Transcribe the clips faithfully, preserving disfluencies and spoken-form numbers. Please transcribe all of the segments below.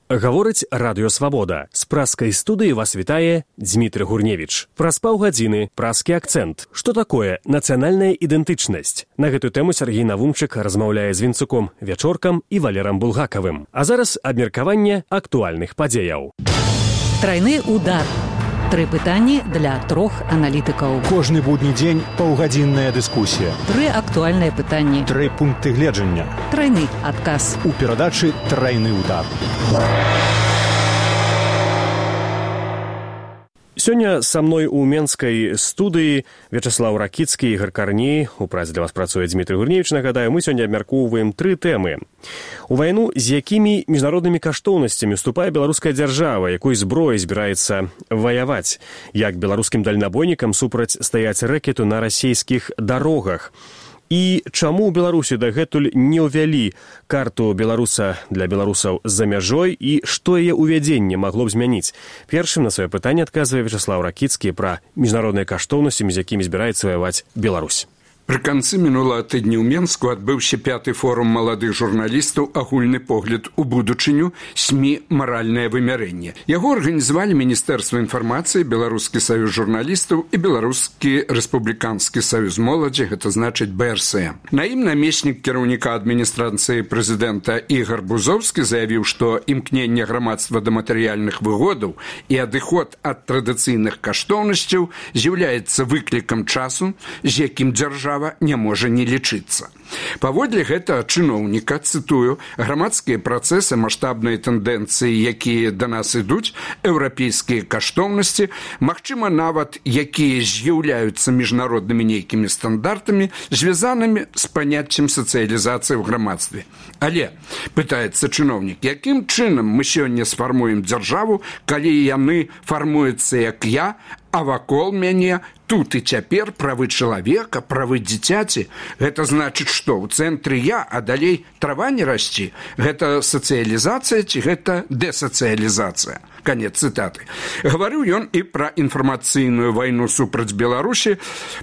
Гаворыць Радыё Свабода. З праскай студыі вас вітае Дзмітрый Гурневіч. Праз паўгадзіны праскі акцэнт. Што такое нацыянальная ідэнтычнасць? На гэтую тэму Сергей Навумчык размаўляе з Вінцуком Вячоркам і Валерам Булгакавым. А зараз абмеркаванне актуальных падзеяў. Трайны удар. Тры пытанні для трох аналітыкаў. Кожны будні дзень паўгадзінная дыскусія. Тры актуальныя пытанні. Тры пункты гледжання. Трайны адказ. У перадачы «Трайны удар». Сёння са мной у менскай студыі Вячаслаў Ракіцкі, Ігар Карней. У працы для вас працуе Дзмітрый Гурневіч. Нагадаю, мы сёння абмяркоўваем тры тэмы. У вайну з якімі міжнароднымі каштоўнасцямі уступае беларуская дзяржава, якой зброяй збіраецца ваяваць, як беларускім дальнабойнікам супраць стаяць рэкету на расійскіх дарогах. І чаму ў Беларусі дагэтуль не ўвялі карту беларуса для беларусаў за мяжой і што яе ўвядзенне магло б змяніць? Першым на сваё пытанне адказвае Вячаслаў Ракіцкі пра міжнародныя каштоўнасці, з якімі збіраецца ваяваць Беларусь. Пры канцы мінулага тыдня ў Менску адбыўся пяты форум маладых журналістаў «Агульны погляд у будучыню. СМІ. Маральнае вымярэнне». Яго арганізавалі Міністэрства інфармацыі, Беларускі саюз журналістаў і Беларускі рэспубліканскі саюз моладзі, гэта значыць бэ эр эс эм. На ім намеснік кіраўніка адміністрацыі прэзідэнта Ігар Бузоўскі заявіў, што імкненне грамадства да матэрыяльных выгодаў і адыход ад традыцыйных каштоўнасцяў з'яўляецца выклікам часу, з якім дзяржава не можа не лічыцца. Паводле гэтага чыноўніка, цытую, грамадскія працэсы, маштабныя тэндэнцыі, якія да нас ідуць, еўрапейскія каштоўнасці, магчыма, нават якія з'яўляюцца міжнароднымі нейкімі стандартамі, звязанымі з паняццем сацыялізацыі ў грамадстве. Але, пытаецца чыноўнік, якім чынам мы сёння сфармуем дзяржаву, калі яны фармуюцца як я, а вакол мяне тут і цяпер правы чалавека, правы дзіцяці. Гэта значыць, што ў цэнтры я, а далей трава не расці. Гэта сацыялізацыя ці гэта дэсацыялізацыя? Канец цытаты. Гаварыў ён і пра інфармацыйную вайну супраць Беларусі,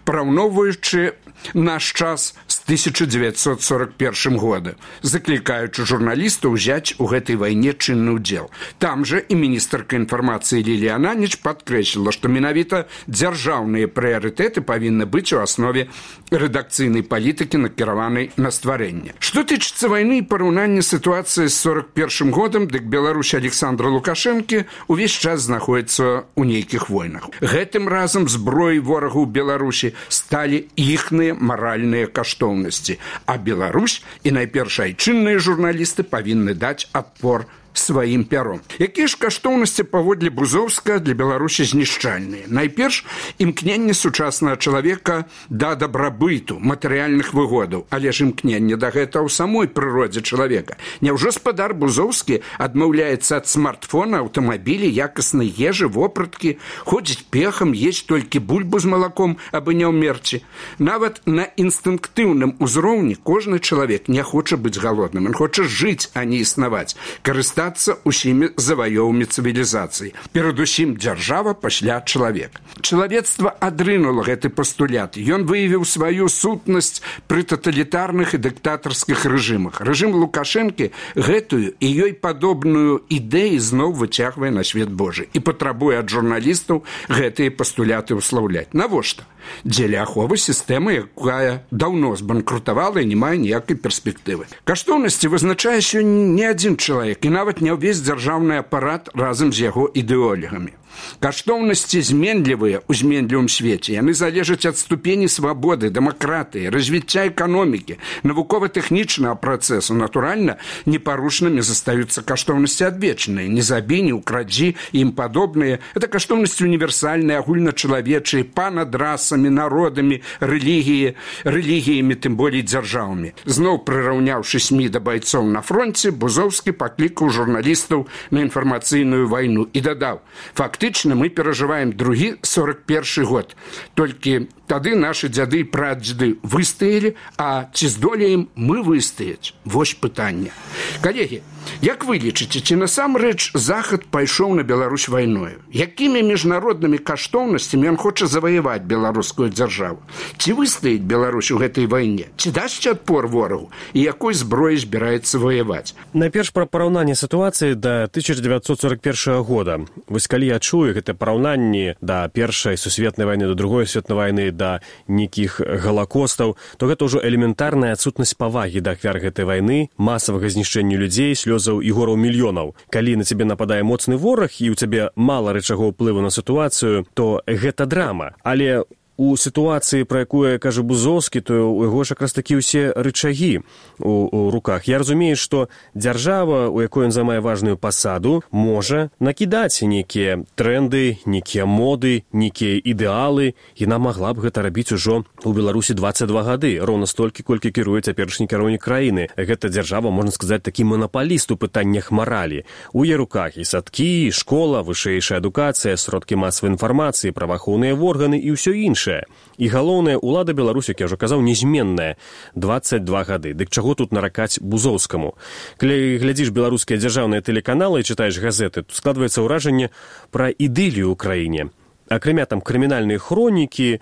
параўноўваючы наш час з тысяча дзевяцьсот сорок першым года, заклікаючы журналістаў узяць у гэтай вайне чынны ўдзел. Там жа і міністэрка інфармацыі Лілія Ананіч падкрэсліла, што менавіта дзяржаўныя прыярытэты павінны быць у аснове рэдакцыйнай палітыкі, накіраванай на стварэнне. Што тычыцца вайны і параўнання сітуацыі з сорок першым годам, дык Беларусь Александра Лукашэнкі увесь час знаходіцца ў нейкіх войнах. Гэтым разам зброяй ворагу ў Беларусі сталі іхныя маральныя каштоўнасці, а Беларусь і найперш айчынныя журналісты павінны даць адпор сваім пяром. Якія ж каштоўнасці паводле Бузоўска для Беларусі знішчальныя? Найперш, імкненне сучаснага чалавека да дабрабыту, матэрыяльных выгодаў, але ж імкненне да гэта ў самой прыродзе чалавека. Няўжо спадар Бузоўскі адмаўляецца ад смартфона, аўтамабілі, якаснай ежы, вопраткі, ходзіць пехам, есць толькі бульбу з малаком, абы не ўмерці? Нават на інстынктыўным узроўні кожны чалавек не хоча быць галодным, ён хоча жыць, а не існаваць, карыстацца усімі заваёўамі цывілізацыі. Перадусім дзяржава, пасля чалавек. Чалавецтва адрынула гэты пастулят. Ён выявіў сваю сутнасць пры таталітарных і дыктатарскіх рэжымах. Рэжым Лукашэнкі гэтую і ёй падобную ідэю зноў выцягвае на свет Божы і патрабуе ад журналістаў гэтыя пастуляты ўслаўляць. Навошта? Дзеля аховы сістэмы, якая даўно збанкрутавала і не мае ніякай перспектывы. Каштоўнасці вызначае сёння не адзін чалавек і нават не ўвесь дзяржаўны апарат разам з яго ідэолігамі. Каштоўнасці зменлівыя ў зменлівым свеце. Яны залежаць ад ступені свабоды, дэмакратыі, развіцця эканомікі, навукова-тэхнічнага працэсу. Натуральна, непарушнымі застаюцца каштоўнасці адвечныя. Не забі, не ўкрадзі і ім падобныя. Это каштоўнасці універсальныя, агульначалавечыя, па-над расамі, народамі, рэлігіі, рэлігіямі, тым болей дзяржавамі. Зноў прыраўняўшы СМІ да байцоў на фронце, Бузоўскі паклікаў журналістаў на інфармацыйную вайну і дадаў: фактычна мы перажываем другі сорок першы год. Толькі тады нашы дзяды і прадзеды выстаялі, а ці здолеем мы выстаяць? Вось пытанне. Калегі, Як вы лічыце, ці насамрэч Захад пайшоў на Беларусь вайною? Якімі міжнароднымі каштоўнасцямі ён хоча заваяваць беларускую дзяржаву? Ці выстаіць Беларусь у гэтай вайне? Ці дасць адпор ворагу? І якой зброяй збіраецца ваяваць? Найперш пра параўнанне сітуацыі да тысяча дзевяцьсот сорок першага года. Вось калі я чую гэта параўнанне да першай сусветнай вайны, да другой сусветнай вайны, да нейкіх галакостаў, то гэта ўжо элементарная адсутнасць павагі да ахвяр гэтай вайны, масавага знішчэння людзей, слёзаў і гораў мільёнаў. Калі на цябе нападае моцны вораг і ў цябе мала рычагоў ўплыву на сітуацыю, то гэта драма. Але у сітуацыі, пра якую кажа Бузоўскі, то у яго ж якраз такі ўсе рычагі у, у руках. Я разумею, што дзяржава, у якой ён займае важную пасаду, можа накідаць нейкія тренды, нейкія моды, нейкія ідэалы, і яна магла б гэта рабіць ужо у Беларусі дваццаць два гады, роўна столькі, колькі кіруе цяперашні кіраўнік краіны. Гэта дзяржава, можна сказаць, такі манапаліст у пытаннях маралі. У яе руках і садкі, і школа, вышэйшая адукацыя, сродкі масавай інфармацыі, праваахоўныя органы і ўсё іншае. І галоўная ўлада Беларусі, як я ўжо казаў, незменная. дваццаць два гады. Дык чаго тут наракаць Бузоўскаму? Калі глядзіш беларускія дзяржаўныя тэлеканалы і чытаеш газеты, то складваецца ўражанне пра ідылію ў краіне. Акрамя там крымінальныя хронікі,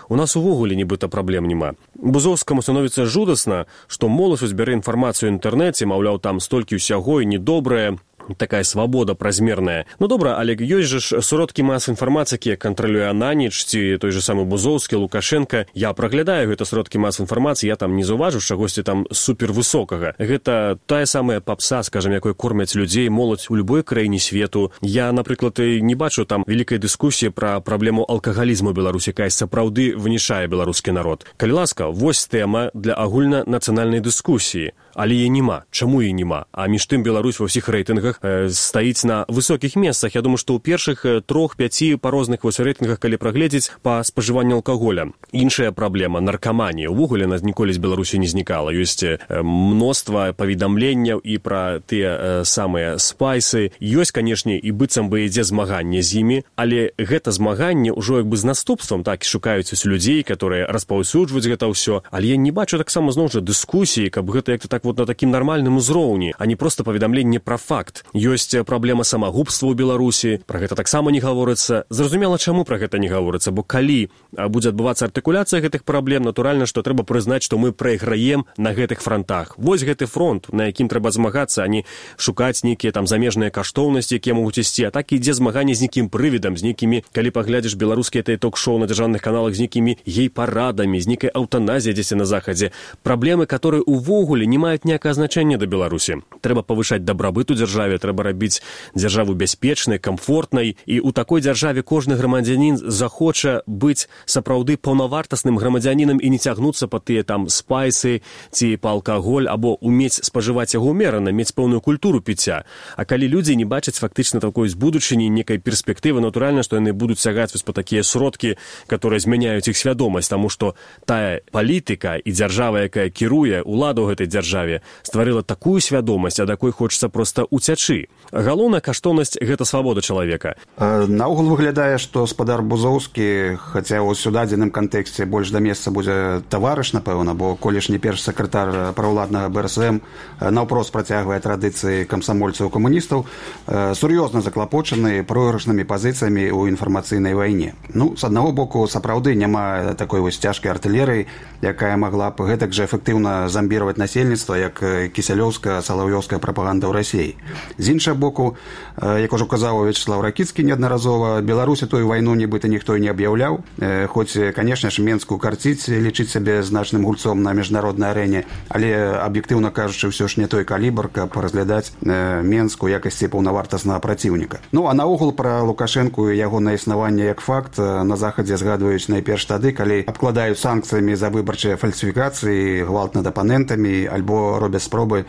у нас увогуле нібыта праблем няма. Бузоўскаму становіцца жудасна, што моладзь збярэ інфармацыю ў інтэрнэце, маўляў, там столькі ўсяго і недобрае, такая свабода празмерная. Ну добра, але ёсць жа ж сродкі масавай інфармацыі, якія кантралюе Ананіч, ці той же самы Бузоўскі, Лукашенка. Я праглядаю гэта сродкі масавай інфармацыі, я там не заўважу чагосьці там супервысокага. Гэта тая самая папса, скажам, якой кормяць людзей, моладзь у любой краіне свету. Я, напрыклад, не бачу там вялікай дыскусіі пра праблему алкагалізму ў Беларусі, якая сапраўды вынішае беларускі народ. Калі ласка, вось тэма для агульнанацыянальнай дыскусіі. Але яе няма. Чаму яе няма? А між тым Беларусь ва ўсіх рэйтынгах э, стаіць на высокіх месцах. Я думаю, што ў першых э, трох-пяці па розных вось рэйтынгах, калі прагледзець, па спажыванню алкаголя. Іншая праблема — наркаманія. Увогуле нас ніколі з Беларусі не знікала. Ёсць э, мноства паведамленняў і пра тыя э, самыя спайсы. Ёсць, канешне, і быццам бы ідзе змаганне з імі, але гэта змаганне ўжо як бы з наступствам, так, шукаюць людзей, которые распаўсюджваюць гэта ўсё. Але я не бачу таксама зноў жа дыскусіі, каб гэта як-то так вот на такім нармальным узроўні, а не проста паведамленне пра факт. Ёсць праблема самагубства ў Беларусі, пра гэта таксама не гаворыцца. Зразумела, чаму пра гэта не гаворыцца, бо калі будзе адбывацца артыкуляцыя гэтых праблем, натуральна, што трэба прызнаць, што мы прайграем на гэтых фронтах. Вось гэты фронт, на якім трэба змагацца, а не шукаць нейкія там замежныя каштоўнасці, якія могуць ісці, а так ідзе змаганне з нейкім прывідам, з нейкімі, калі паглядзіш беларускія ток-шоу на дзяржаўных каналах, з нейкімі гей-парадамі, з нейкай аўтаназіяй дзесьці на захадзе. Праблемы, которые увогуле не маюць ніякае значэнне да Беларусі. Трэба павышаць дабрабыт у дзяржаве, трэба рабіць дзяржаву бяспечнай, камфортнай, і ў такой дзяржаве кожны грамадзянін захоча быць сапраўды паўнавартасным грамадзянінам і не цягнуцца па тыя там спайсы ці па алкаголь, або умець спажываць яго ўмерана, мець пэўную культуру піцця. А калі людзі не бачаць фактычна такой з будучыні, некай перспектывы, натуральна, што яны будуць сягаць вось па такія сродкі, которые змяняюць іх свядомасць, таму што тая палітыка і дзяржава, якая кіруе, улада ў гэтай дзяржаве, стварыла такую свядомасць, ад якой хочацца проста уцячы. Галоўная каштоўнасць — гэта свабода чалавека. Наогул выглядае, што спадар Бузоўскі, хаця ў сюдадзеным кантэксце больш да месца будзе таварыш, напэўна, бо колішні першы сакратар праўладнага бэ эр эс эм наўпрост працягвае традыцыі камсамольцаў-камуністаў, сур'ёзна заклапочаны пройгрышнымі пазіцыямі ў інфармацыйнай вайне. Ну, з аднаго боку, сапраўды няма такой вось цяжкай артылерыі, якая магла б гэтак жа эфектыўна замбіраваць насельніцтва, як кісялёўская, салаўёўская прапаганда ў Расіі. З іншага боку, як ужо казаў Вячеслав Ракіцкі неаднаразова, Беларусі тую вайну нібыта ніхто не аб'яўляў, хоць, канешне ж, Менску карціць, лічыць сябе значным гульцом на міжнароднай арэне, але, аб'ектыўна кажучы, ўсё ж не той калібр, каб разглядаць Менску якасці паўнавартаснага праціўніка. Ну, а наогул пра Лукашэнку і ягонае існаванне як факт на Захадзе згадваюць найперш тады, калі абкладаюць санкцыямі за выбарчыя фальсіфікацыі, гвалт над апанентамі, альбо робяць спробы,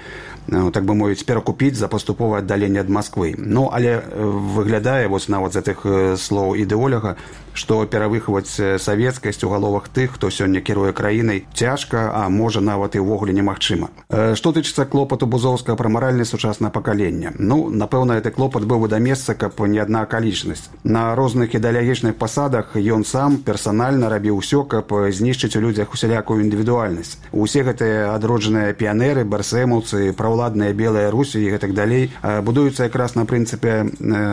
так бы мовіць, перакупіць за паступовае аддаленне ад Масквы. Ну, але выглядае, вось нават з гэтых слоў ідэоляга, што перавыхаваць савецкасць у галовах тых, хто сёння кіруе краінай, цяжка, а можа нават і ўвогуле немагчыма. Што тычыцца клопату Бузоўскага пра маральнае сучаснае пакаленне? Ну, напэўна, гэты клопат быў бы да месца, каб не адна акалічнасць. На розных ідэалагічных пасадах ён сам персанальна рабіў усё, каб знішчыць у людзях усялякую індывідуальнасць. Усе гэтыя адроджаныя піянеры ДНРы, БРСМаўцы, праўладныя белыя Русі і гэтак далей будуюцца якраз на прынцыпе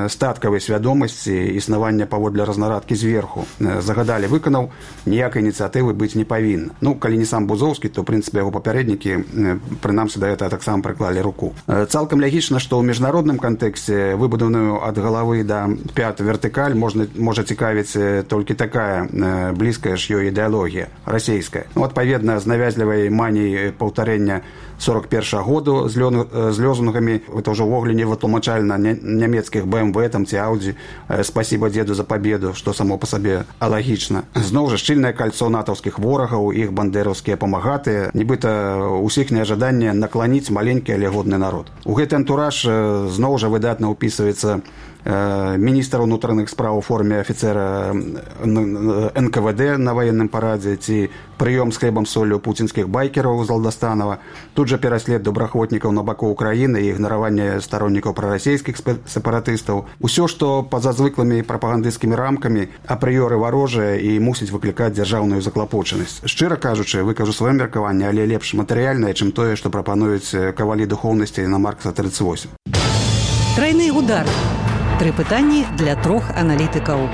статкавай свядомасці існавання паводле разнарадкі зверху. Загадалі выканаў, ніякай ініцыятывы быць не павінна. Ну, калі не сам Бузоўскі, то, ў прынцыпе, яго папярэднікі, прынамсі, да гэтага таксама прыклалі руку. Цалкам лягічна, што ў міжнародным кантэксце выбудованую ад галавы да пят вертыкаль можна, можа цікавіць толькі такая блізкая ж ёй ідэалогія, расейская. Ну, адпаведна, з навязлівай маніяй паўтарэння сорок першага году з, лён, з лёзунгамі, это ўжо ўвогуле не вытлумачальна нямецкіх бэ эм вэ там ці Audi, спасибо деду за победу, што само па сабе алагічна. Зноў жа шчыльнае кольцо натаўскіх ворагаў, іх бандераўскія памагатыя, нібыта ўсіхняе жаданне накланіць маленькі, але годны народ. У гэты антураж зноў жа выдатна ўпісваецца міністр унутраных спраў у форме афіцера эн ка вэ дэ на ваенным парадзе ці прыём з хлебам соллю пуцінскіх байкераў з Алдастанава, тут жа пераслед добраахвотнікаў на баку ўкраіны і ігнараванне староннікаў прарасейскіх сепаратыстаў. Усё, што па-за звыклымі прапагандысцкімі рамкамі апрыёры варожае і мусіць выклікаць дзяржаўную заклапочанасць. Шчыра кажучы, выкажу сваё меркаванне, але лепш матэрыяльнае, чым тое, што прапануюць кавалі духоўнасці на Маркса тридцать восемь. Трайны удар. Тры пытанні для трох аналітыкаў.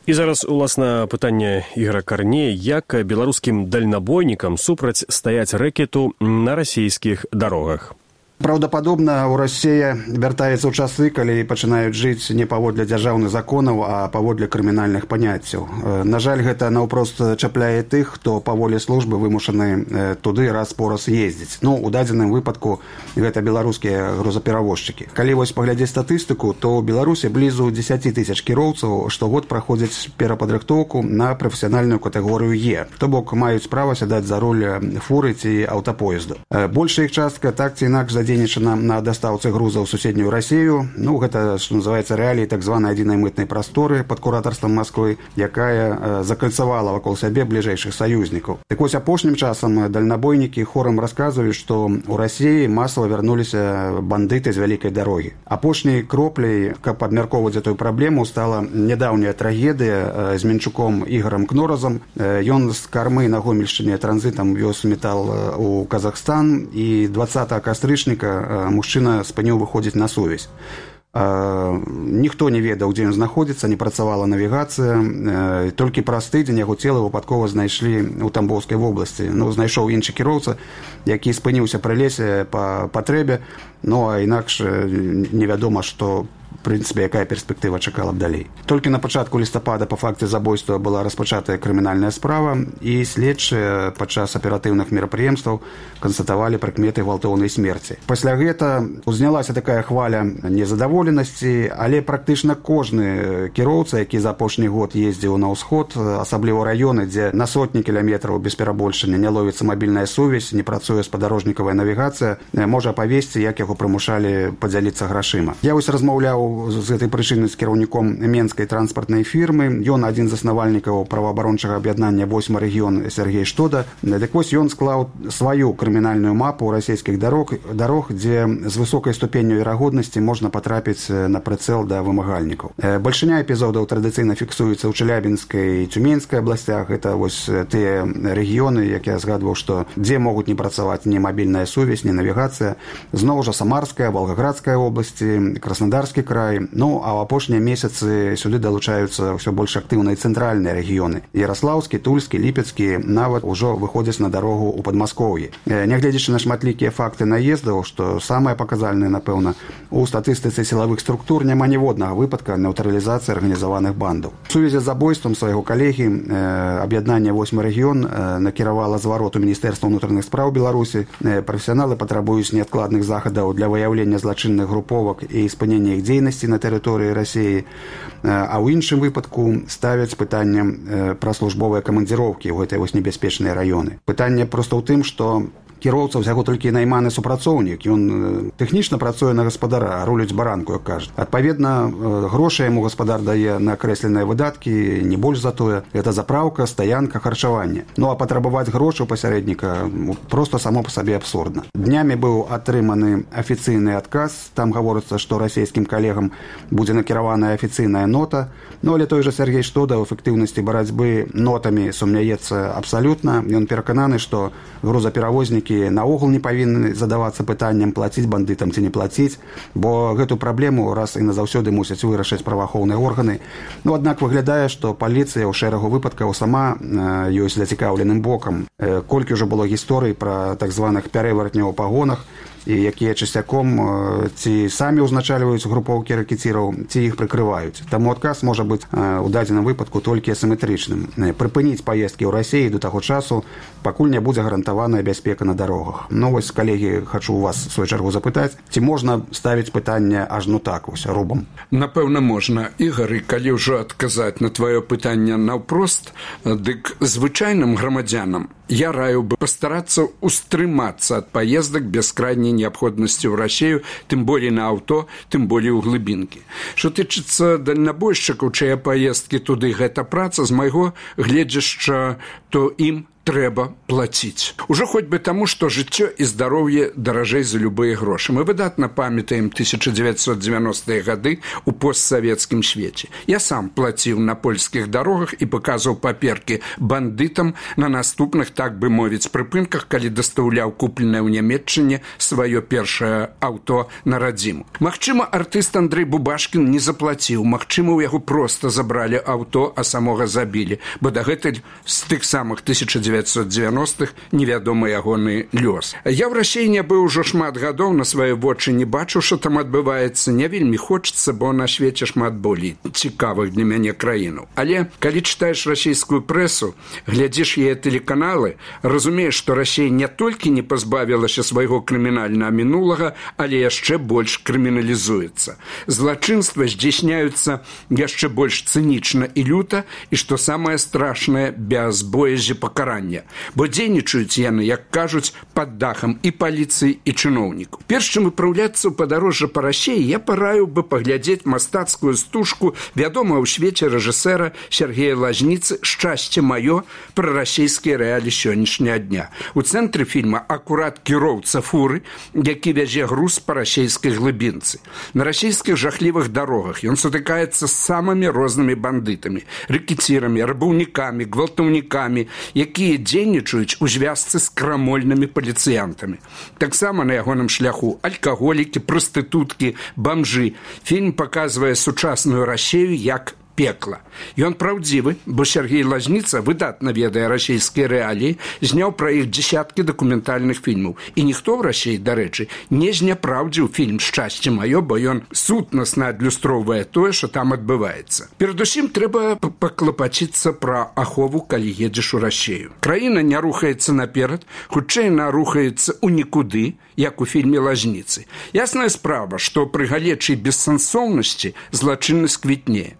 І зараз, уласна, пытанне Ігора Карнея, як беларускім дальнабойнікам супраць стаяць рэкету на расійскіх дарогах. Праўдападобна, у Расія вяртаецца ў часы, калі пачынаюць жыць не паводле дзяржаўных законаў, а паводле крымінальных паняццяў. На жаль, гэта наўпрост чапляе тых, хто па волі службы вымушаны туды раз-пораз ездзіць. Ну, у дадзеным выпадку гэта беларускія грузаперавозчыкі. Калі вось паглядзець статыстыку, то ў Беларусі блізу дзесяць тысяч кіроўцаў штогод праходзяць перападрыхтоўку на прафесіянальную катэгорыю Е. То бок маюць права сядаць за руль фуры ці аўтапоезду. Большая іх частка так ці інакш задзейнічана на дастаўцы грузаў у суседнюю Расію. Ну, гэта, што называецца, рэаліі так званай адзінай мытнай прасторы пад куратарствам Масквы, якая закальцавала вакол сябе бліжэйшых саюзнікаў. Так вось, апошнім часам дальнабойнікі хорам расказваюць, што ў Расіі масава вярнуліся бандыты з вялікай дарогі. Апошняй кропляй, каб абмяркоўваць гэтую праблему, стала нядаўняя трагедыя з Мінчуком Ігорам Кноразам. Ён з кармы на Гомельшчыне транзітам вёз метал у Казахстан, і дваццатага кастрычніка мужчына спыніў выходзіць на сувязь. Ніхто не ведаў, дзе ён знаходзіцца, не працавала навігацыя. Толькі праз тыдзень яго цела выпадкова знайшлі ў Тамбоўскай вобласці. Ну, знайшоў іншы кіроўца, які спыніўся пры лесе па патрэбе, ну, а інакш невядома, што в прынцыпе, якая перспектыва чакала б далей. Толькі на пачатку лістапада па факце забойства была распачатая крымінальная справа, і следчыя падчас аператыўных мерапрыемстваў канстатавалі прыкметы гвалтоўнай смерці. Пасля гэта узнялася такая хваля незадаволенасці, але практычна кожны кіроўца, які за апошні год ездзіў на ўсход, асабліва раёны, дзе на сотні кіламетраў без перабольшання не ловіцца мабільная сувязь, не працуе спадарожнікавая навігацыя, можа апавесці, як яго прымушалі падзяліцца грашыма. Я вось размаўляў з гэтай прычыны з кіраўніком менскай транспартнай фірмы. Ён адзін з заснавальнікаў праваабарончага аб'яднання восьмы рэгіён Сергей Штода. Дык вось ён склаў сваю крымінальную мапу расійскіх дарог, дарог, дзе з высокай ступенню верагоднасці можна патрапіць на прыцэл да вымагальнікаў. Бальшыня эпізодаў традыцыйна фіксуецца ў Чэлябінскай і Цюменскай абласцях. Гэта вось тыя рэгіёны, як я згадваў, што дзе могуць не працаваць ні мабільная сувязь, ні навігацыя. Зноў жа Самарская, Волгоградская обласці, Краснодарскі край. Ну, а ў апошнія месяцы сюды далучаюцца ўсё больш актыўныя цэнтральныя рэгіёны. Ярослаўскі, Тульскі, Ліпецкі нават ужо выходзяць на дарогу ў Падмаскоўі. Нягледзячы на шматлікія факты наездаў, што самае паказальнае, напэўна, у статыстыцы сілавых структур няма ніводнага выпадка нейтралізацыі арганізаваных бандаў. У сувязі з забойствам свайго калегі аб'яднання восьмы рэгіён накіравала зварот у Міністэрства ўнутраных спраў Беларусі. Прафесіяналы патрабуюць неадкладных захадаў для выяўлення злачынных груповак і спынення іх дзейнасці на тэрыторыі Расіі, а ў іншым выпадку ставяць пытанне пра службовыя камандзіроўкі ў гэтай вось небяспечныя раёны. Пытанне проста ў тым, што кіроўца ўсяго толькі найманы супрацоўнік, ён тэхнічна працуе на гаспадара, руліць баранку, як кажа. Адпаведна, грошы яму гаспадар дае на акрэсленыя выдаткі, не больш за тое. Это заправка, стаянка, харчаванне. Ну а патрабаваць грошы у пасярэдніка просто само па сабе абсурдна. Днямі быў атрыманы афіцыйны адказ, там гаворыцца, што расійскім калегам будзе накіраваная афіцыйная нота, ну але той жа Сергей Штода ў эфектыўнасці барацьбы нотамі сумняецца абсалютна. Ён перакананы, што грузаперавознікі наогул не павінны задавацца пытаннем плаціць бандытам ці не плаціць, бо гэту праблему раз і назаўсёды мусяць вырашыць праваахоўныя органы. Ну аднак выглядае, што паліцыя ў шэрагу выпадкаў сама э, ёсць зацікаўленым бокам. Э, колькі ўжо было гісторый пра так званых пярэвартняў у пагонах, і якія часцяком ці самі ўзначальваюць групоўкі рэкетіраў, ці іх прыкрываюць. Таму адказ можа быць у дадзеным выпадку толькі асіметрычным. Прыпыніць паездкі ў Расіі да таго часу, пакуль не будзе гарантаваная бяспека на дарогах. Ну вось, калегі, хачу у вас в свою чаргу запытаць, ці можна ставіць пытанне аж ну так вось рубам? Напэўна, можна. Ігар, калі ўжо адказаць на тваё пытанне наўпрост, дык звычайным грамадзянам я раю бы пастарацца устрымацца ад паездак без крайняй неабходнасці ў Расію, тым болей на аўто, тым болей у глыбінкі. Што тычыцца дальнабойшчыкаў, чыя паездкі туды гэта праца, з майго гледзяшча, то ім трэба плаціць. Ужо хоць бы таму, што жыццё і здароўе даражэй за любыя грошы. Мы выдатна памятаем тысяча дзевяцьсот дзевяностыя гады ў постсавецкім свеце. Я сам плаціў на польскіх дарогах і паказваў паперкі бандытам на наступных, так бы мовіць, прыпынках, калі дастаўляў купленае ў Нямецчыне сваё першае аўто на радзіму. Магчыма, артыст Андрэй Бубашкін не заплаціў, магчыма, у яго проста забралі аўто, а самога забілі, бо дагэтуль з тых самых тысяча дзевяцьсот дзевяностых невядомы ягоны лёс. Я ў Расіі не быў ужо шмат гадоў, на свае вочы не бачу, што там адбываецца, не вельмі хочацца, бо на свеце шмат болей цікавых для мяне краінаў. Але калі чытаеш расійскую прэсу, глядзіш яе тэлеканалы, разумееш, што Расія не толькі не пазбавілася свайго крымінальнага мінулага, але яшчэ больш крыміналізуецца. Злачынства здзяйсняюцца яшчэ больш цынічна і люта, і што самае страшнае, без боязі пакарання. Бо дзейнічаюць яны, як кажуць, пад дахам і паліцыі, і чыноўнікаў. Перш чым выпраўляцца ў падарожжа па Расіі, я параю бы паглядзець мастацкую стужку вядомага ў свеце рэжысэра Сергея Лазніцы «Шчасце маё» пра расійскія рэалі сённяшняга дня. У цэнтры фільма акурат кіроўца фуры, які вязе груз па расійскай глыбінцы. На расійскіх жахлівых дарогах ён сутыкаецца з самымі рознымі бандытамі, рэкецірамі, рабаўнікамі, гвалтаўнікамі, якія дзейнічаюць у звязцы з крамольнымі паліцыянтамі. Таксама на ягоным шляху алкаголікі, прастытуткі, бамжы. Фільм паказвае сучасную Расію як пекла. Ён праўдзівы, бо Сергей Лазніца выдатна ведае расійскія рэаліі, зняў пра іх дзесяткі дакументальных фільмаў. І ніхто ў Расіі, дарэчы, не зняпраўдзіў фільм «Шчасце маё», бо ён сутнасна адлюстроўвае тое, што там адбываецца. Перадусім трэба паклапаціцца пра ахову, калі едзеш у Расію. Краіна не рухаецца наперад, хутчэй яна рухаецца ў нікуды, як у фільме Лазніцы. Ясная справа, што пры галечай бессэнсоўнасці злачыннасць квітнее.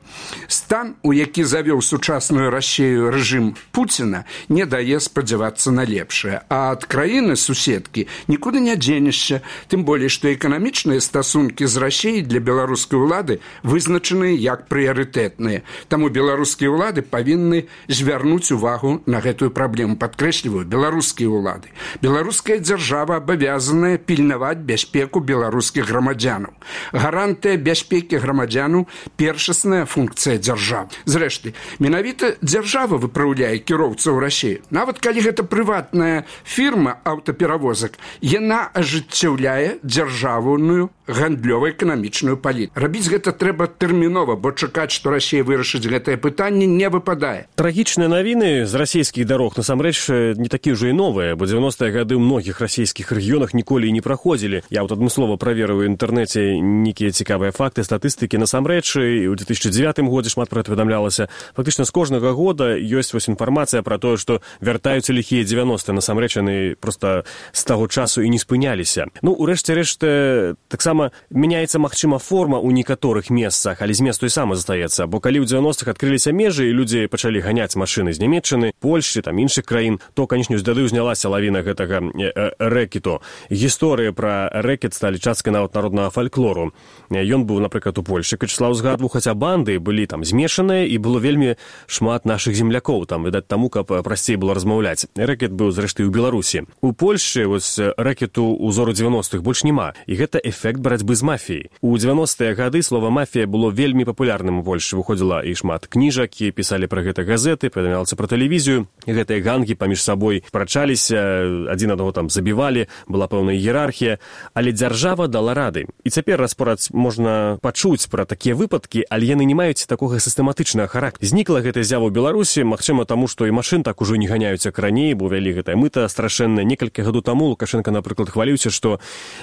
Стан, у які завёў сучасную Расію рэжым Пуціна, не дае спадзявацца на лепшае. А ад краіны-суседкі нікуды не дзенешся, тым болей, што эканамічныя стасункі з Расіяй для беларускай улады вызначаныя як прыярытэтныя. Таму беларускія ўлады павінны звярнуць увагу на гэтую праблему. Падкрэсліваю, беларускія ўлады. Беларуская дзяржава абавязаная пільнаваць бяспеку беларускіх грамадзянаў. Гарантыя бяспекі грамадзянаў – першасная функцыя дзяржавы. Зрэшты, менавіта дзяржава выпраўляе кіроўцаў Расіі. Нават калі гэта прыватная фірма аўтаперавозак, яна ажыццяўляе дзяржаўную гандлёва-эканамічную палітыку. Рабіць гэта трэба тэрмінова, бо чакаць, што Расія вырашыць гэтае пытанне, не выпадае. Трагічныя навіны з расійскіх дарог насамрэч не такія ўжо і новыя, бо дзевяностыя гады ў многіх расійскіх рэгіёнах ніколі і не праходзілі. Я вот адмыслова праверыў у інтэрнэце нейкія цікавыя факты, статыстыкі. Насамрэч, і ў две тысячи дзевятым годзе шмат пра гэта паведамлялася. Фактычна з кожнага года ёсць вось інфармацыя пра тое, што вяртаюцца ліхія дзевяностыя. Насамрэч, яны проста з таго часу і не спыняліся. Ну, урэшце рэшт, таксама Магчыма, мяняецца, магчыма, форма ў некаторых месцах, але змест той самы застаецца. Бо калі ў дзевяностых адкрыліся межы і людзі пачалі ганяць машыны з Нямецчыны, Польшчы, там іншых краін, то, канечне, з дады ўзнялася лавіна гэтага рэкету. Гісторыі пра рэкет сталі часткай нават народнага фальклору. Ён быў, напрыклад, у Польшчы, Вячеслаў згадваў, хаця банды былі там змешаныя і было вельмі шмат нашых землякоў, там, відаць, таму, каб прасцей было размаўляць. Рэкет быў, зрэшты, у Беларусі. У Польшчы вось рэкету ўзору дзевяностых больш няма, і гэта эфект барацьбы з мафіяй. У дзевяностыя гады слова «мафія» было вельмі папулярным у Польшчы. Выходзіла і шмат кніжак, і пісалі пра гэта газеты, паведамлялася пра тэлевізію. І гэтыя гангі паміж сабой прачаліся, адзін аднаго там забівалі, была пэўная іерархія, але дзяржава дала рады. І цяпер распораць можна пачуць пра такія выпадкі, але яны не маюць такога сістэматычнага характару. Знікла гэта з'ява ў Беларусі, магчыма, таму, што і машын так ужо не ганяюць, як раней, бо вялі гэтае мыта страшэннае. Некалькі гадоў таму Лукашенко, напрыклад, хваліўся, што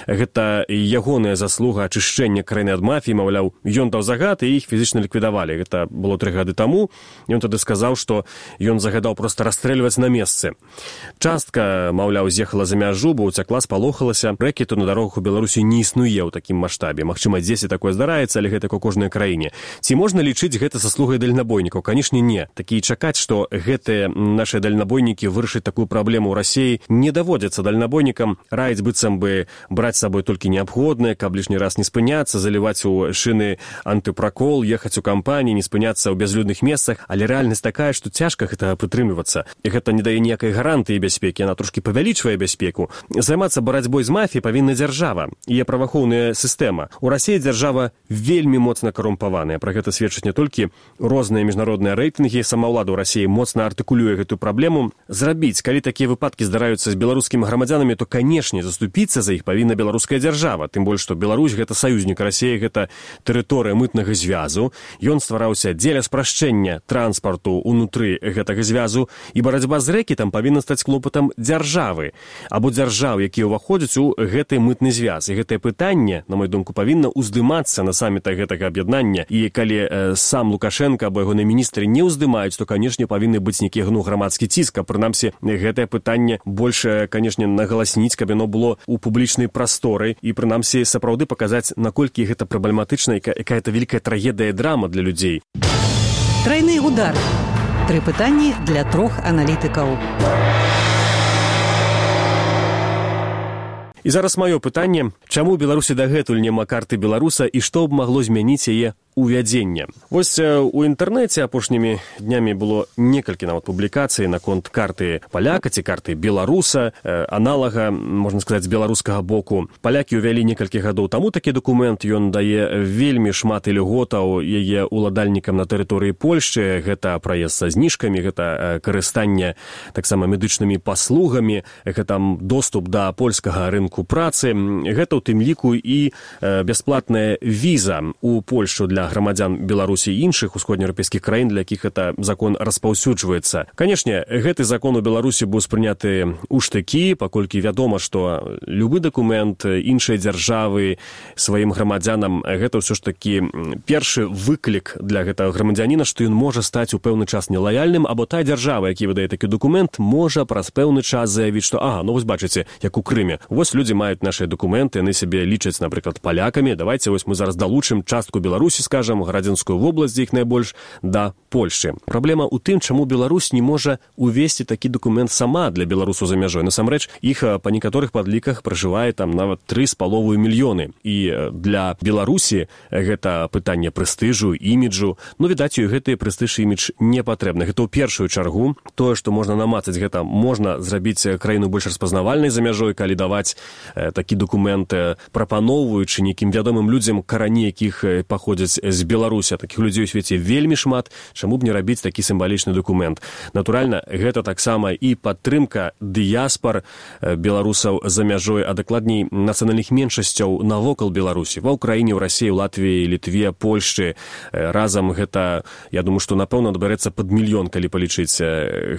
гэта ягоная заслуга ачышчэння краіны ад мафіі, маўляў, ён даў загад, і іх фізічна ліквідавалі. Гэта было тры гады таму. Ён тады сказаў, што ён загадаў проста расстрэльваць на месцы. Частка, маўляў, з'ехала за мяжу, бо уцякла, спалохалася. Рэкету на дарогах у Беларусі не існуе ў такім маштабе. Магчыма, дзесьці такое здараецца, але гэта ў кожнай краіне. Ці можна лічыць гэта заслугай дальнабойнікаў? Канешне, не. Такі чакаць, што гэтыя нашыя дальнабойнікі вырашаць такую праблему ў Расіі, не даводзіцца дальнабойнікам. Раіць быццам бы браць з сабой толькі неабходнае, каб лішні раз не спыняцца, заліваць у шыны антыпракол, ехаць у кампаніі, не спыняцца ў бязлюдных месцах. Але рэальнасць такая, што цяжка гэта прытрымлівацца. І гэта не дае ніякай гарантыі бяспекі, яна трошкі павялічвае бяспеку. Займацца барацьбой з мафіяй павінна дзяржава і праваахоўная сістэма. У Расіі дзяржава вельмі моцна карумпаваная. Пра гэта сведчаць не толькі розныя міжнародныя рэйтынгі, самаўлада ў Расіі моцна артыкулюе гэтую праблему. Зрабіць, калі такія выпадкі здараюцца з беларускімі грамадзянамі, то, канешне, заступіцца за іх павінна беларуская дзяржава. Тым больш, што Беларусь гэта саюзнік Расіі, гэта тэрыторыя мытнага звязу. Ён ствараўся дзеля спрашчэння транспарту ўнутры гэтага звязу, і барацьба з рэкетам павінна стаць клопатам дзяржавы або дзяржаў, якія ўваходзяць у гэты мытны звяз. І гэтае пытанне, на мою думку, павінна ўздымацца на самітах гэтага аб'яднання. І калі э, сам Лукашенко або ягоныя міністры не ўздымаюць, то, канешне, павінны быць нейкі ну, грамадскі ціск, а прынамсі гэтае пытанне больш, канешне, нагаласніць, каб яно было ў публічнай прасторы і прынамсі сапраўды паказаць, наколькі гэта праблематычна, якая-то вялікая трагедыя, драма для людзей. Трайны удар. Тры пытанні для трох аналітыкаў. І зараз маё пытанне, чаму ў Беларусі дагэтуль няма карты беларуса і што б магло змяніць яе увядзення. Вось у інтэрнэце апошнімі днямі было некалькі нават публікацый наконт карты паляка ці карты беларуса, аналага, можна сказаць, з беларускага боку. Палякі ўвялі некалькі гадоў таму такі дакумент, ён дае вельмі шмат ільготаў яе уладальнікам на тэрыторыі Польшчы, гэта праезд са зніжкамі, гэта карыстанне таксама медычнымі паслугамі, гэта доступ да польскага рынку працы, гэта ў тым ліку і бясплатная віза ў Польшчу для грамадзян Беларусі і іншых усходнееўрапейскіх краін, для якіх гэта закон распаўсюджваецца. Канешне, гэты закон у Беларусі быў спрыняты ў штыкі, паколькі вядома, што любы дакумент іншай дзяржавы сваім грамадзянам, гэта ўсё ж такі першы выклік для гэтага грамадзяніна, што ён можа стаць у пэўны час нелаяльным, або та дзяржава, які выдае такі дакумент, можа праз пэўны час заявіць, што ага, ну вось бачыце, як у Крыме. Вось людзі маюць нашыя дакументы, яны сябе лічаць, напрыклад, палякамі, давайце вось мы зараз далучым частку Беларусі, скажам, Градзенскую вобласць, дзе іх найбольш, да Польшчы. Праблема ў тым, чаму Беларусь не можа увесці такі дакумент сама для беларусаў за мяжой. Насамрэч, іх па некаторых падліках пражывае там нават тры з паловай мільёны. І для Беларусі гэта пытанне прэстыжу, іміджу, но, відаць, ёй гэты прэстыж і імідж не патрэбны. Гэта ў першую чаргу. Тое, што можна намацаць, гэта можна зрабіць краіну больш распазнавальнай за мяжой, калі даваць э, такі дакумент, прапаноўваючы нейкім вядомым людзям, карані якіх паходзяць з Беларусі. Такіх людзей у свеце вельмі шмат. Чаму б не рабіць такі сімвалічны дакумент? Натуральна, гэта таксама і падтрымка дыяспар беларусаў за мяжой, а дакладней нацыянальных меншасцяў навокал Беларусі. Ва ўкраіне, ў Расіі, ў Латвіі, Літве, Польшчы. Разам гэта, я думаю, што, напэўна, адбярэцца пад мільён, калі палічыць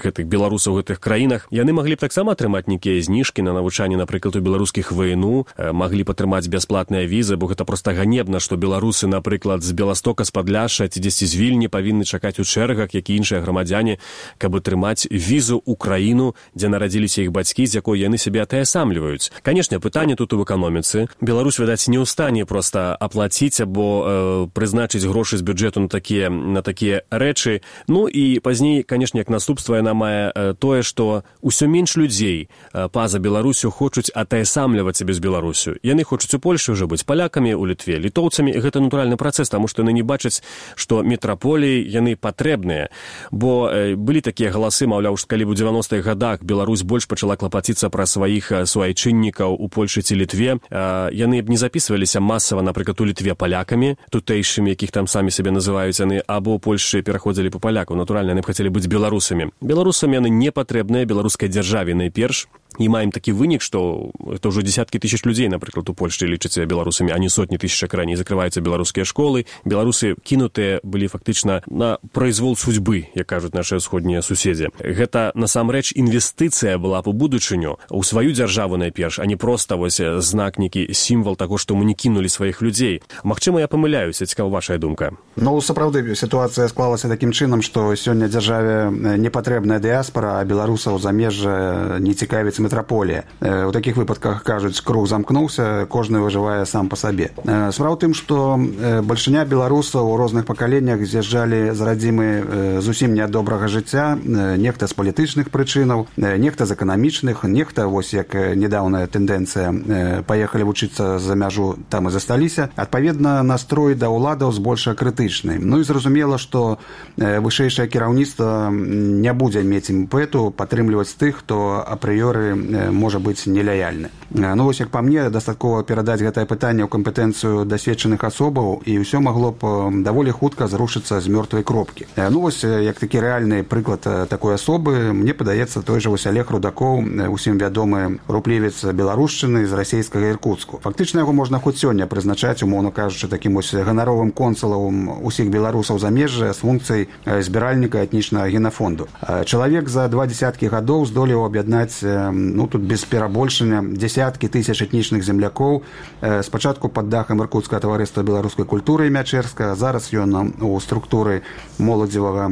гэтых беларусаў у гэтых краінах. Яны маглі б таксама атрымаць нейкія зніжкі на навучанне, напрыклад, у беларускіх ВНУ, маглі маглі патрымаць бясплатныя візы, бо гэта проста ганебна, што беларусы, напрыклад, з Беластока, з Падляшша ці дзесьці з Вільні павінны чакаць у чэргах, як і іншыя грамадзяне, каб атрымаць візу ў краіну, дзе нарадзіліся іх бацькі, з якой яны сябе атаясамліваюць. Канешне, пытанне тут у эканоміцы. Беларусь, відаць, не ў стане проста аплаціць або э, прызначыць грошы з бюджэту на такія, на такія рэчы. Ну і пазней, канешне, як наступства яна мае э, тое, што ўсё менш людзей э, па-за Беларусю хочуць атаясамліваць сябе з Беларусю. Яны хочуць у Польшы ўжо быць палякамі, у Літве літоўцамі. Гэта натуральны працэс, таму што яны не бачаць, што метраполіі яны патрэбныя. Бо э, былі такія галасы, маўляў, што калі ў дзевяностых гадах Беларусь больш пачала клапаціцца пра сваіх суайчыннікаў у Польшы ці Літве, э, яны б не запісваліся масава, напрыклад, у Літве палякамі, тутэйшымі, якіх там самі сябе называюць яны, або ў Польшы пераходзілі па палякаў. Натуральна, яны б хацелі быць беларусамі. Беларусам яны не патрэбныя, беларускай дзяржаве найперш. І маем такі вынік, што это ўжо дзесяткі тысяч людзей, напрыклад, у Польшчы лічацца беларусамі, а не сотні тысяч, як раней. Закрываюцца беларускія школы. Беларусы кінутыя былі фактычна на произвол судьбы, як кажуць нашыя ўсходнія суседзі. Гэта, насамрэч, інвестыцыя была б у будучыню, у сваю дзяржаву найперш, а не проста вось знак, некі сімвал таго, што мы не кінулі сваіх людзей. Магчыма, я памыляюся, цікава вашая думка. Ну, сапраўды, сітуацыя склалася такім чынам, што сёння дзяржаве не патрэбная дыяспара, а беларусаў замежжа не цікавіць метраполія. У такіх выпадках, кажуць, круг замкнуўся, кожны выжывае сам па сабе. Справа ў тым, што бальшыня беларусаў у розных пакаленнях з'язджалі з радзімы зусім не ад добрага жыцця, нехта з палітычных прычынаў, нехта з эканамічных, нехта, вось як нядаўная тэндэнцыя, паехалі вучыцца за мяжу, там і засталіся. Адпаведна, настрой да ўладаў збольшага крытычны. Ну і зразумела, што вышэйшае кіраўніцтва не будзе мець імпэту падтрымліваць тых, хто апрыёры можа быць нелаяльны. Ну, вось, як па мне, дастаткова перадаць гэтае пытанне ў кампетэнцыю дасведчаных асобаў, і ўсё магло б даволі хутка зрушыцца з мёртвай кропкі. Ну, вось, як такі рэальны прыклад такой асобы, мне падаецца, той жа вось Олег Рудакоў, усім вядомы руплівец беларушчыны з расейскага Іркуцку. Фактычна яго можна хоць сёння прызначаць, умоўна кажучы, такім вось ганаровым консулам усіх беларусаў замежжа з функцыяй збіральніка этнічнага генафонду. Чалавек за два дзесяткі гадоў здолеў аб'яднаць, ну, тут без перабольшання, дзесяткі тысяч этнічных землякоў. Спачатку пад дахам Іркутскага таварыства беларускай культуры імя Чэрска, зараз ён у структуры моладзевага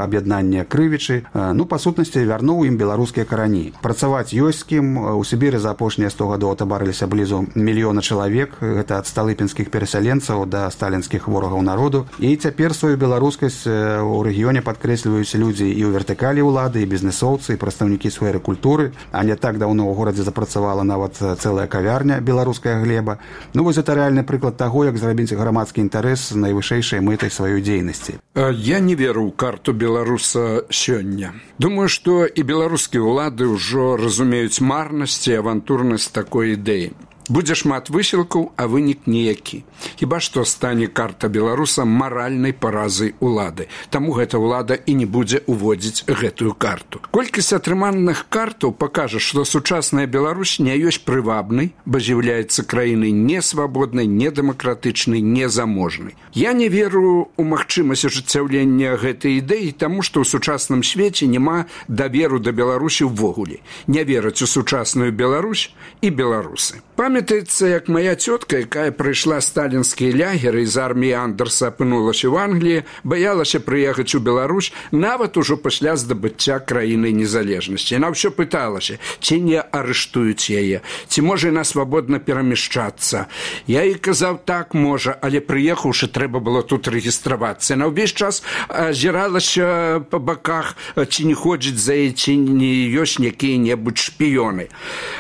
аб'яднання Крывічы. Ну, па сутнасці, вярнуў ім беларускія карані. Працаваць ёсць з кім. У Сібіры за апошнія сто гадоў атабарыліся блізу мільёна чалавек. Гэта ад сталыпінскіх перасяленцаў да сталінскіх ворагаў народу. І цяпер сваю беларускасць у рэгіёне падкрэсліваюць людзі і ў вертыкалі ўлады, і бізнесоўцы, і прадстаўнікі сферы культуры. А не так даўно ў горадзе запрацавала нават цэлая кавярня «Беларуская глеба». Ну, вось гэта рэальны прыклад таго, як зрабіць грамадскі інтарэс найвышэйшай мэтай сваёй дзейнасці. Я не веру ў карту беларуса сёння. Думаю, што і беларускія ўлады ўжо разумеюць марнасць і авантурнасць такой ідэі. Будзе шмат высілкаў, а вынік ніякі. Хіба што стане карта беларуса маральнай паразай улады. Таму гэта ўлада і не будзе уводзіць гэтую карту. Колькасць атрыманых картаў пакажа, што сучасная Беларусь не ёсць прывабнай, бо з'яўляецца краінай несвабоднай, недэмакратычнай, незаможнай. Я не веру ў магчымасць ажыццяўлення гэтай ідэі, таму што ў сучасным свеце няма даверу да Беларусі ўвогуле. Не вераць у сучасную Беларусь і беларусы. Памятаецца, як моя цётка, якая прыйшла сталінскія лягеры з арміі Андерса, апынулася ў Англіі, баялася прыехаць у Беларусь нават ужо пасля здабыцця краіны незалежнасці. Яна ўсё пыталася, ці не арыштуюць яе, ці можа яна свабодна перамяшчацца. Я ёй казаў, так, можа, але прыехаўшы, трэба было тут рэгістравацца. Яна ўвесь час азіралася па баках, ці не ходзіць за яе, ці не ёсць якія-небудзь шпіёны.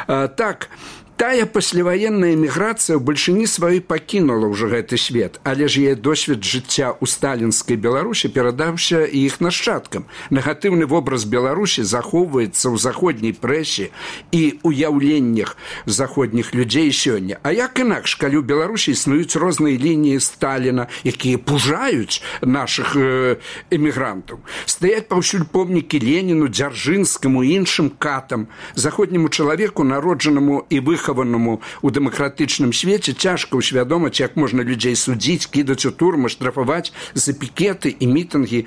Так, тая пасляваенная эміграцыя ў бальшыні сваёй пакінула ўжо гэты свет, але ж яе досвед жыцця ў сталінскай Беларусі перадаўся і іх нашчадкам. Негатыўны вобраз Беларусі захоўваецца ў заходняй прэсе і ўяўленнях заходніх людзей сёння. А як інакш, калі ў Беларусі існуюць розныя лініі Сталіна, якія пужаюць нашых э, эмігрантаў. Стаяць паўсюль помнікі Леніну, Дзяржынскаму і іншым катам, заходняму чалавеку, народжанаму і выхаднаму выхаванаму ў дэмакратычным свеце цяжка ўсвядоміць, як можна людзей судзіць, кідаць у турмы, штрафаваць за пікеты і мітынгі.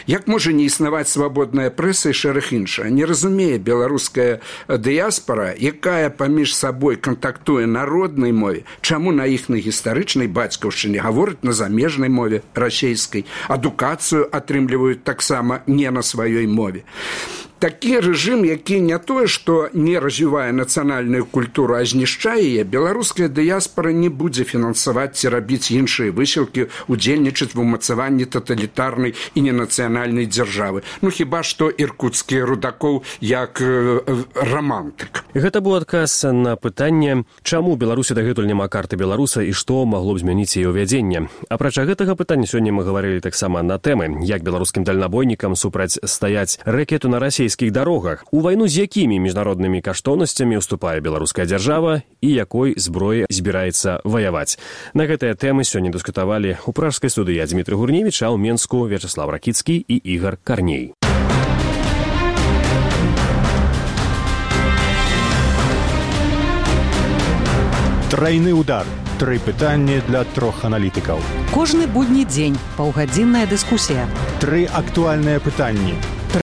Як можа не існаваць свабодная прэса і шэраг іншае? Не разумее беларуская дыяспара, якая паміж сабой кантактуе на роднай мове, чаму на іхнай гістарычнай бацькаўшчыне гавораць на замежнай мове расейскай, адукацыю атрымліваюць таксама не на сваёй мове. Такі рэжым, які не тое, што не развівае нацыянальную культуру, а знішчае яе, беларуская дыяспара не будзе фінансаваць ці рабіць іншыя высілкі, удзельнічаць в умацаванні таталітарнай і ненацыянальнай дзяржавы. Ну, хіба што іркуцкі Рудакоў як э, рамантык. Гэта быў адказ на пытанне, чаму Беларусі дагэтуль няма карты беларуса і што магло б змяніць яе ўвядзенне. Апрача гэтага пытання сёння мы гаварылі таксама на тэмы, як беларускім дальнабойнікам супрацьстаяць рэкету на расейскіх дарогах, у вайну з якімі міжнароднымі каштоўнасцямі ўступае беларуская дзяржава і якой зброі збіраецца ваяваць. На гэтыя тэмы сёння дыскутавалі ў пражскай студыі Дзмітрый Гурневіч, а ў Менску Вячаслав Ракіцкі і Ігар Карней. Трайны удар. Тры пытанні для трох аналітыкаў. Кожны будні дзень паўгадзінная дыскусія. Тры актуальныя пытанні.